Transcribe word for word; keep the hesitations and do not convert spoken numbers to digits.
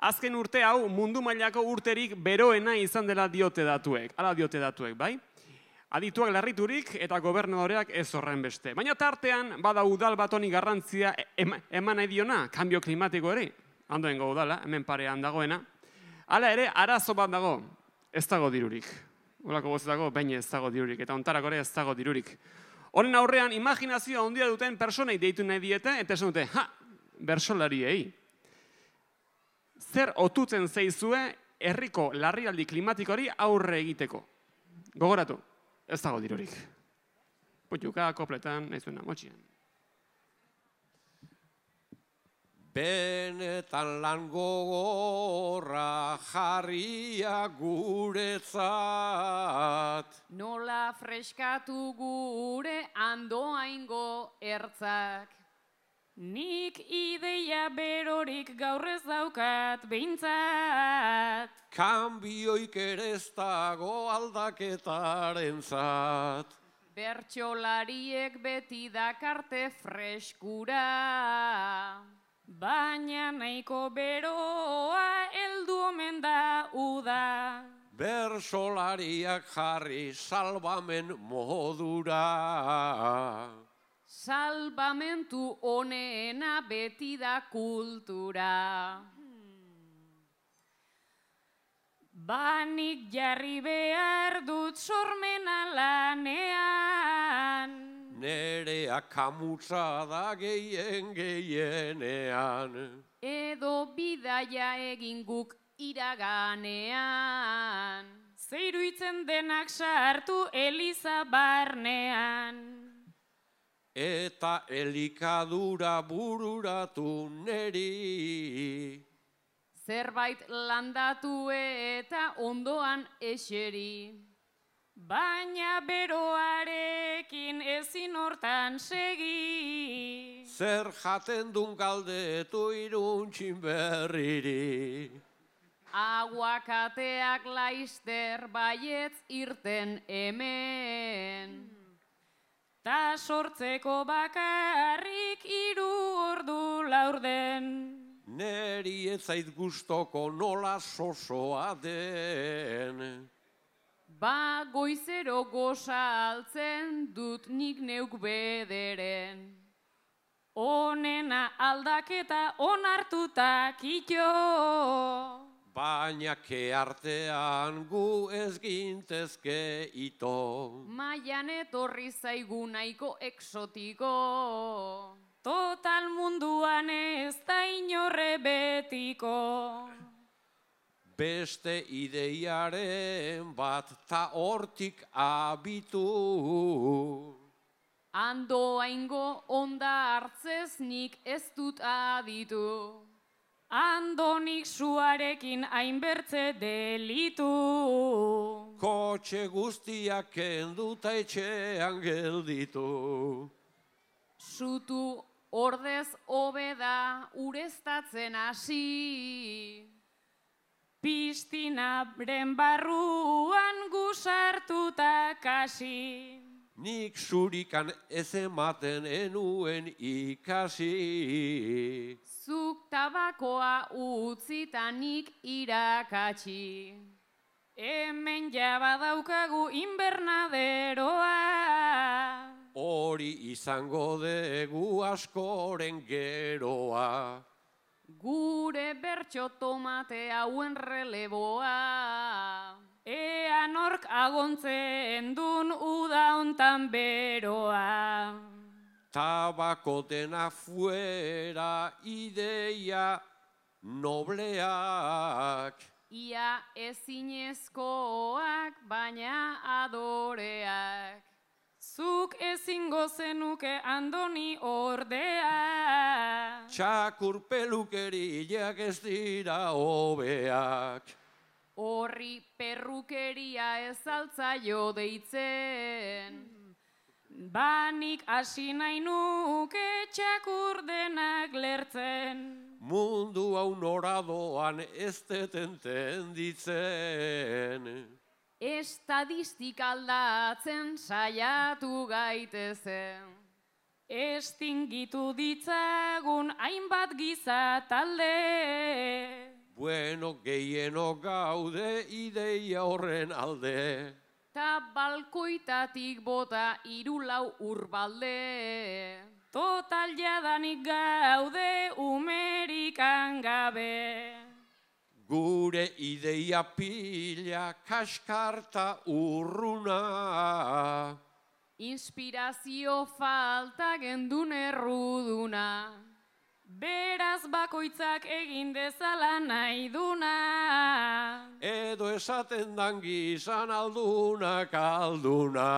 azken urte hau mundu mailako urterik beroena izan dela diote datuek. Hala diote datuek, bai? Adituak larriturik eta gobernadoreak ez horren beste. Baina tartean, bada udal bat honi garrantzia eman nahi diona, kanbio klimatiko ere. Andoengo udala, hemen parean dagoena. Hala ere, arazo bat dago, ez dago dirurik. Olako goz dago, baina ez dago dirurik. Eta ontarako ere ez dago dirurik. Honen aurrean, imaginazioa handia duten personei deitu nahi diete, eta esan dute, ha, bersolariei. Zer otutzen zeizue herriko larrialdi klimatikori aurre egiteko? Gogoratu, ez dago dirurik. Putxuka, kopletan, nahi zuena, motxian. Benetan lan gogorra jarria guretzat. Nola freskatu gure andoaingo ertzak. Nik ideia berorik gaur ez daukat behintzat. Kanbioik ere ez dago aldaketaren zat. Bertsolariek beti dakarte freskura. Baina nahiko beroa heldu omen da uda. Bersolariak jarri salbamen modura. Salbamentu honena beti da kultura. Banik jarri behar dut sormena lanean. Nerea kamutza da gehien gehienean. Edo bidaia egin guk iraganean. Zeiruitzen denak sartu Eliza barnean. Eta elikadura bururatu neri. Zerbait landatu eta ondoan eseri. Baina beroarekin ezin hortan segi. Zer jaten dun galdetu iruntxin berriri. Aguakateak laister baietz irten hemen. Ta sortzeko bakarrik hiru ordu laurden. Neri ez zait gustoko nola sosoa den. Ba goizero goza altzen dut nik neuk bederen. Honena aldaketa onartuta kito. Baina keartean gu ez gintezke ito. Maian etorri zaigu nahiko exotiko. Total munduan ez da inorre betiko. Beste ideiaren bat ta hortik abitu. Andoaingo onda hartzez nik ez dut aditu. Andonik suarekin hainbertze delitu. Kotxe guztiak kenduta etxean gelditu. Sutu ordez hobeda ureztatzen hasi. Pistinaren barruan gusartuta kasi. Nik zurikan ez ematen enuen ikasi. Zuk tabakoa utzita nik irakatsi. Hemen jaba daukagu inbernaderoa. Hori izango dugu askoren geroa. Gure bertso tomate hauen releboa. Ea nork agontzen dun uda hontan beroa. Tabakoten afuera ideia nobleak. Ia ezinezkoak baina adoreak. Zuk ezingo zenuke Andoni ordea. Txakur pelukeriak ez dira hobeak. Horri perrukeria ez altzaio deitzen. Banik hasi nahi nuke txakur denak lertzen. Mundu hau noradoan ez detenten ditzen. Estadistika aldatzen saiatu gaitezen. Estingitu ditzagun hainbat giza talde. Bueno, gehienok gaude ideia horren alde. Ta balkoitatik bota hiru lau urbalde. Total jadanik gaude umerikan gabe. Gure ideia pila kaskarta urruna. Inspirazio falta gendun erruduna. Beraz bakoitzak egin dezala nahi duna. Edo esaten dan gizan aldunak alduna.